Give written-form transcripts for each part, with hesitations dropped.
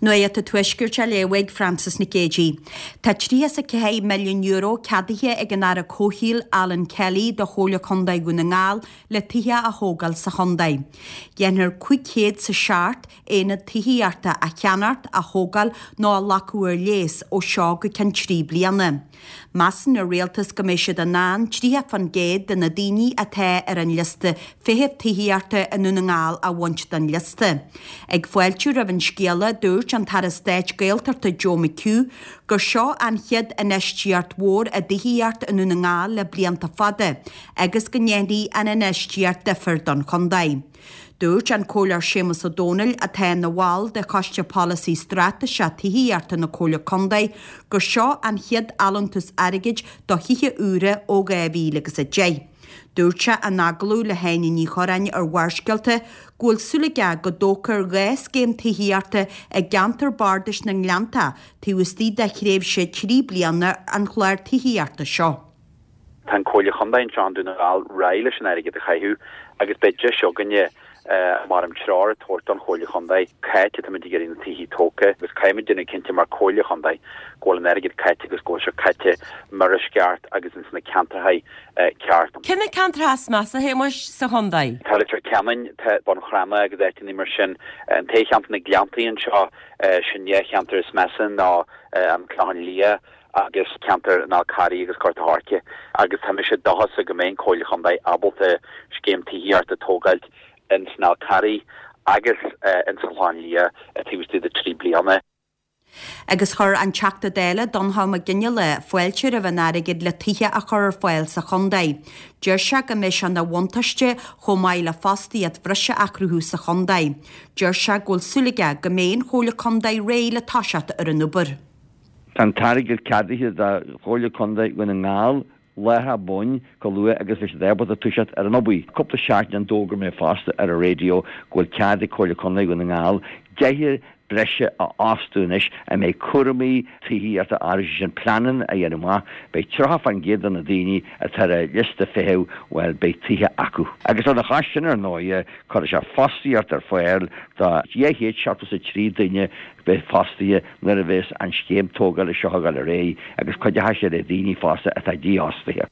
Nuacht an Tuaiscirt á léamh ag Frances Nic Géadaigh. Tá €34 milliún ceadaithe ag an Aire Comhshaoil Alan Kelly do Chomhairle Contae Dhún na nGall le tithe a thógáil sa chontae. Dhéanfar 507 aonad tithíochta a cheannacht, a thógáil nó a ghlacadh ar léas ó seo go ceann 3 bliana. Measann an rialtas go mbeidh siad in ann 30% de na daoine atá ar an liosta feithimh tithíochta i nDún na nGall a bhaint den liosta. Ag fáiltiú roimh an scéala, dúirt an tAire Stáit Gaeltachta Joe McHugh gur seo an chéad infheistíocht mhór i dtithíocht i nDún na nGall le blianta fada agus go ndéanfaidh an infheistíocht difear don chontae. Dúirt an Comhairleoir Séamus Ó Domhnaill, atá ina bhall de Choiste Polasaí Straitéiseach Tithíochta na Comhairle Contae, gur seo an chéad allúntas airgid do thithe úra ó 2010. Dúirt sé in agallamh le hÁine Ní Churráin ar Bharrscéalta go bhfuil súil aige go dtógfar 2 scéim tithíochta i gceantar bardais na nGleanntach taobh istigh de thréimhse 3 bliana an chláir tithíochta seo. Tá an Comhairle Chontae anseo i nDún na nGall réidh leis an airgead a chaitheamh agus beidh deis againne mar an treoir a tabhairt don Chomhairle Chontae cá háit atáimid ag iarraidh na tithe tógtha agus caithfimid déanamh cinnte mar Comhairle Chontae go bhfuil an airgead caite agus go bhfuil sé caite mar is ceart agus ins na ceantracha ceart. Cé na ceantracha is measa, a Shéamuis, sa chontae? Tá Leitir Ceanainn, tá Bun Cranncha agus áiteanna mar sin. An t-cheantar na Gleanntaí anseo, sin dhá cheantar is measa ná an Clochán Liath agus ceantar an Fhál Carraigh agus Gort a' Choirce agus tá mise dóchasach go mbeidh an Comhairle Chontae ábalta scéim tithíochta a tógáilt ins an Fhál Carraigh agus ins an Chlochán Liath taobh istigh de 3 bliana. Agus chuir an Teachta Dála Donnchadh Mac Fhionnghaile fáilte roimh an airgead le tithe a chur ar fáil sa chontae. Deir sé go mbeidh sé ina bhuntáiste chomh maith le fostaíocht bhreise a chruthú sa chontae. Deir sé go bhfuil súil aige go mbeidh an Chomhairle Contae réidh le toiseacht ar an obair. Tá an t-airgead ceadaithe do Chomhairle Contae Dhún na nGall láithreach bonn chomh luath agus a bheidh siad ábalta toiseacht ar an obair. Cúpla seachtain ó shin d'fhógair mé fosta ar an raidió go bhfuil cead ag Comhairle Contae Dhún na nGall deichniúr breise a fhostú anois a mbeidh cúramaí tithíochta orthu, sé sin pleananna a dhéanamh amach. Beidh 30% de na daoine atá ar an liosta feithimh, bhuel, beidh tithe acu. Agus lena chois sin, ar ndóighe, cuirfidh sé fostaíocht ar fáil do 273 duine beidh fostaithe nuair a bheas an scéim tógála seo ag dul ar aghaidh agus cuideoidh sé le daoine fosta atá dífhostaithe.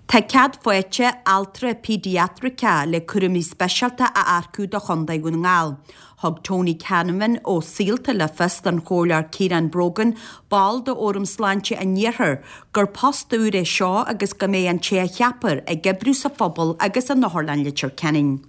Tá cead faighte altra péidiatraiceach le cúraimí speisialta a earcú do Chontae Dhún na nGall. Thug Tony Canavan ó Saolta le fios don Chomhairleoir Ciarán Brogan, ball de Fhóram Sláinte an Iarthair, gur post úr é seo agus go mbeidh an té a cheapfar ag oibriú sa phobal agus in Otharlann Leitir Ceanainn.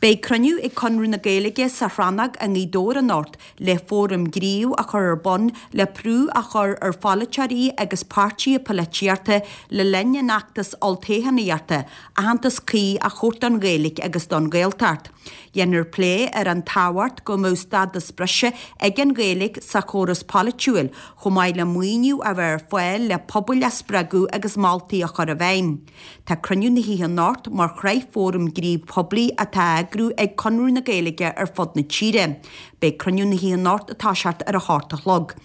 Beidh cruinniú ag Conradh na Gaeilge sa Chrannóg i nGaoth Dobhair anocht le fóram gnímh a chur ar bun le brú a chur ar pholaiteoirí agus páirtithe polaitíochta le linn an fheachtais olltoghchánaíochta aitheantas cuí a thabhairt don Ghaeilge agus don Ghaeltacht. Dhéanfar plé ar an tábhacht go mbeadh stádas breise ag an Ghaeilge sa chóras polaitiúil chomh maith le maoiniú a bheith ar fáil le pobail a spreagadh agus moltaí a chur i bhfeidhm. Tá cruinniú na hoíche anocht mar shraith fóram gnímh poiblí atá á eagrú ag Conradh na Gaeilge ar fud na tíre. Beidh cruinniú na hoíche anocht ag toiseacht ar a hocht a chlog.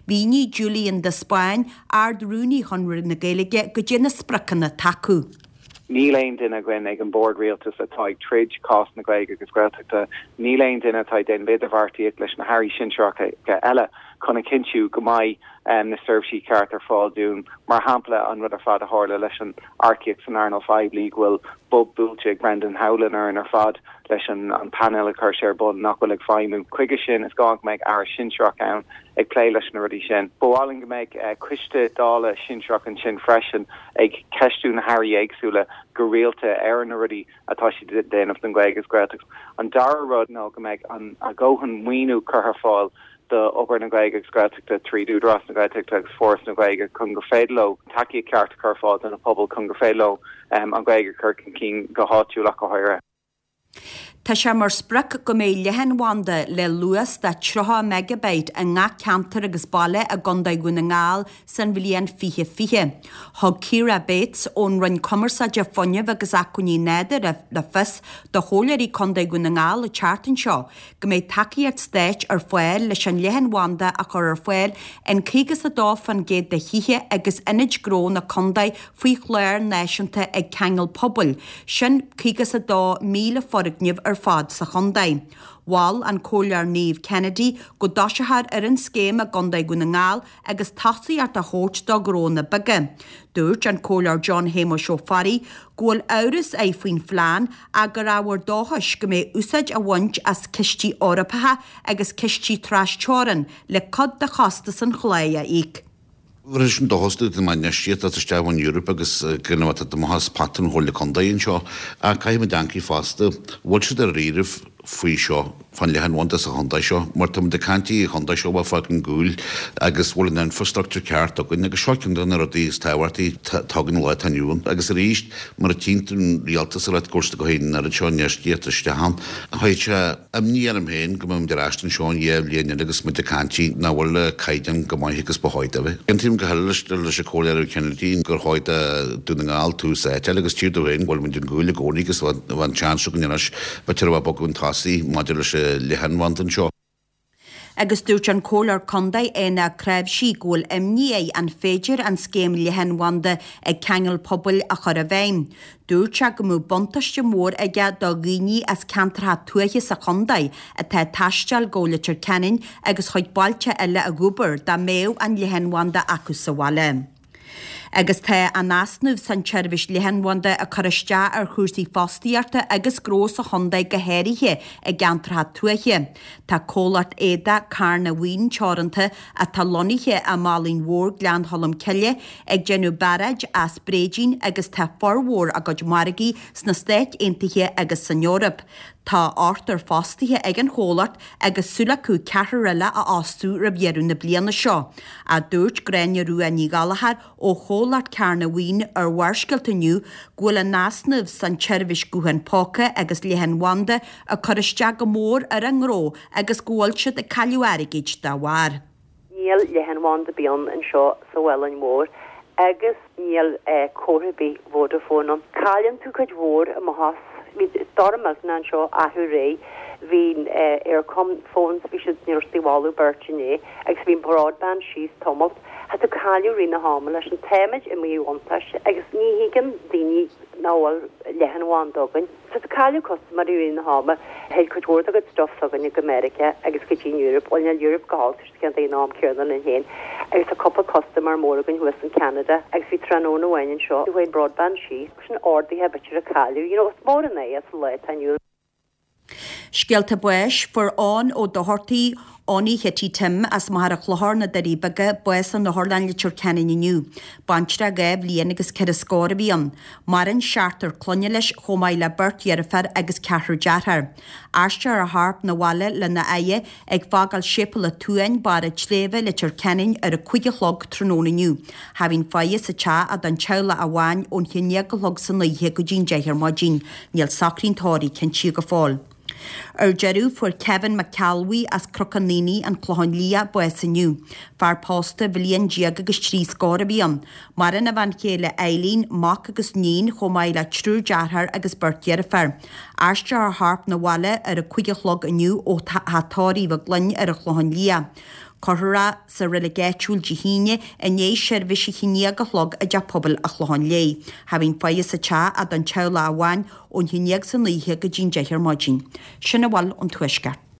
Mhínigh Julian de Spáinn, Ard-Rúnaí Chonradh na Gaeilge, goidé na spriocanna atá acu. Níl aon duine againn ag an bord rialtais atá ag troid cás na Gaeilge agus Gaeltachta. Níl aon duine atá ag déanamh idirbheartaíocht leis na hairí sinsearacha eile chun a chinntiú go mbeidh na seirbhísí ceart ar fáil dúinn. Mar shampla, an rud ar fad a tharla leis an earcaíocht san earnáil phoiblí, go bhfuil bob buailte ag Brendan Howlin orainn ar fad leis an painéal a chuir sé ar bun nach bhfuil ag feidhmiú. Chuige sin, is gá go mbeidh aire sinsearach ann ag plé leis na rudaí sin. Ba mhaith linn go mbeadh coiste Dála sinsearach ansin freisin ag ceistiú na hairí éagsúla go rialta ar na rudaí atá siad ag déanamh don Ghaeilge agus Gaeltacht. An dara rud ná go mbeidh a dhóthain maoiniú curtha ar fáil do obair na Gaeilge agus Gaeltachta tríd Údarás na Gaeltachta agus Foras na Gaeilge chun gur féidir leo tacaíocht ceart a chur ar fáil do na pobail chun gur féidir leo an Ghaeilge a chur chun cinn go háitiúil ach go háirithe. Tá sé mar sprioc go mbeidh leathanbhanda le luas de 30 megabyte i ngach ceantar agus baile i gContae Dhún na nGall san bhliain 2020. Thug Ciara Bates ón Roinn Cumarsáide, Fuinnimh agus Acmhainní Nádúrtha le fios do Chomhairleoirí Contae Dhún na nGall an tseachtain seo go mbeidh tacaíocht stáit ar fáil leis an leathanbhanda a chur ar fáil in 52% de thithe agus ionaid gnó na contae faoi chlár náisiúnta Ag Ceangal Pobail, sin 52,000 foirgneamh ar fad sa chontae. Mhol an Comhairleoir Niamh Kennedy go dtoiseofar ar an scéim i gContae Dhún na nGall agus tosaíocht á thabhairt do ghnónna beaga. Dúirt an Comhairleoir John Shéamuis Ó Fearraigh go bhfuil amhras air faoin phlean ach gur ábhar dóchais go mbeidh úsáid á bhaint as cistí Eorpacha agus cistí tras-teorann le cuid de chostas an chláir a íoc. Rinne sin dóchas dúinn go mbeidh infheistíocht as isteach ón Eoraip agus go mbeadh amach as pota an Chomhairle Contae anseo. Ach caithfidh muid amharc fosta, bhfuil siad dáiríribh faoi seo, fán leathanbhanda sa chontae seo, mar tá muid ag caint an chontae seo a bheith fágtha ar gcúl agus bhfuil an infrastructure ceart againn agus seo ceann de na rudaí is tábhachtaí atá againn an lá atá inniu ann. Agus arís, mar a tchíonn tú an rialtas ag ráit go bhfuil siad ag cur an oiread seo infheistíocht isteach ann, chuirfeadh sé Imní orm féin go mbeidh muid ar ais anseo in 2 bhliain eile agus muid ag caint nach bhfuil an caighdeán chomh maith agus ba chóir dó bheith. Aontaím go huile leis an Chomhairleoir Kennedy gur chóir do Dún na nGall tús áite a fháil agus tchítear domh féin go bhfuil muid ar gcúl i gcónaí agus bheadh an seans againn anois b'fhéidir a bheith bogadh chun tosaigh maidir leis an leathanbhanda anseo. Agus dúirt an Comhairleoir Contae Éanna Ó Cnáimhsí go bhfuil imní air an féidir an scéim leathanbhanda ag ceangal pobail a chur i bhfeidhm. Dúirt sé go mbeadh buntáiste mór aige do dhaoine as ceantracha tuaithe sa chontae atá ag taisteal go Leitir Ceanainn agus chuig bailte eile ag obair dá mbeadh an leathanbhanda acu sa bhaile. Agus tá an easnamh san tseirbhís leathanbhanda ag cur isteach ar chúrsaí fostaíochta agus gnó sa chontae go háirithe i gceantracha tuaithe. Tá comhlacht éadaigh Carnabhaoin Teoranta atá lonnaithe i mBallainn Mhór Gleann Cholm Cille ag déanamh bearáid as bréidín agus tá formhór a gcuid margaí sna Stáit Aontaithe agus san Eoraip. Tá ochtar fostaithe ag an chomhlacht agus súil acu ceathrar eile a fhostú roimh dheireadh na bliana seo, a dúirt Gráinne Rua Ní Ghallchóir ó chomhlacht Carnabhaoin ar Bharrscéalta inniu go bhfuil an easnamh san tseirbhís guthán póca agus leathanbhanda ag cur isteach go mór ar an ngnó agus go bhfuil siad ag cailleadh airgid dá bharr. Níl leathanbhanda ar bith ann anseo sa Mhálainn Mhór agus níl comhartha ar bith Vodafone ann. Cailleann tú cuid mhór amach as. Bhí stoirm millteanach anseo arú aréir. Bhí Eircom phones, bhí siad, ní raibh siad ag bhfolú beirt inné agus bhí an broadband síos tamalt. Tá tú cailleadh rith na hama leis an táimid i míbhuntáiste agus ní thuigeann daoine nach bhfuil leathanbhanda againn. Tá tú cailleadh custaiméirí i rith na hama. Théid cuid mhór de chuid stuff s'againne go Meiriceá agus go dtí an Europe. Bhuel níl Europe go holc, tá siad ceann ag an am céanna linn féin. Agus tá cúpla custaiméir mór againn thuas in Canada agus bhí tráthnóna amháin anseo, chuaigh an broadband síos. Sin orduithe b'fhéidir a cailleadh. You know, is mór an é sa lá atá inniu. Scéalta báis, Fuair Eoin Ó Dochartaigh, Eoiní Chití Tim, as Machaire Chlochair, Na Doirí Beaga, bás in Otharlann Leitir Ceanainn inniu. Baintreach 2 bhliain agus 4 scór a bhí ann. Maireann seachtar clainne leis chomh maith le beirt dheirféar agus ceathrar dearthár. Aistreofar a chorp 'na bhaile lena fhaire ag fágáil Séipéal an tSuain, Barr an tSléibhe, Leitir Ceanainn ar a 5 a chlog tráthnóna inniu. Tha bhinn faire sa teach don teaghlach amháin ón 11 a chlog san oíche go dtí'n 10 ar maidin. Níl socraí an tórraimh cinntithe go fóill. Ar deireadh, fuair Kevin Mac Ceallbhuí as Cnocán Aonaigh, An Clochán Liath, bás inniu. Fear pósta bhliain déag agus 3 scór a bhí ann. Maireann a bhean chéile Eileen, mac agus níon, chomh maith le triúr dearthár agus beirt dheirféar. Aistreofar a chorp 'na bhaile ar a 5 a chlog inniu ó theach tórraimh Mhic Gloinn ar an Chlochán Liath. Cuirfear é sa reilig áitiúil Dé hAoine i ndiaidh seirbhís a haon déag a chlog i dTeach Pobail a' Chlocháin Léith. Tha bhinn faire sa teach don teaghlach amháin ón haon déag san oíche go dtí'n 10 ar maidin. Sin a bhfuil ón Tuaisceart.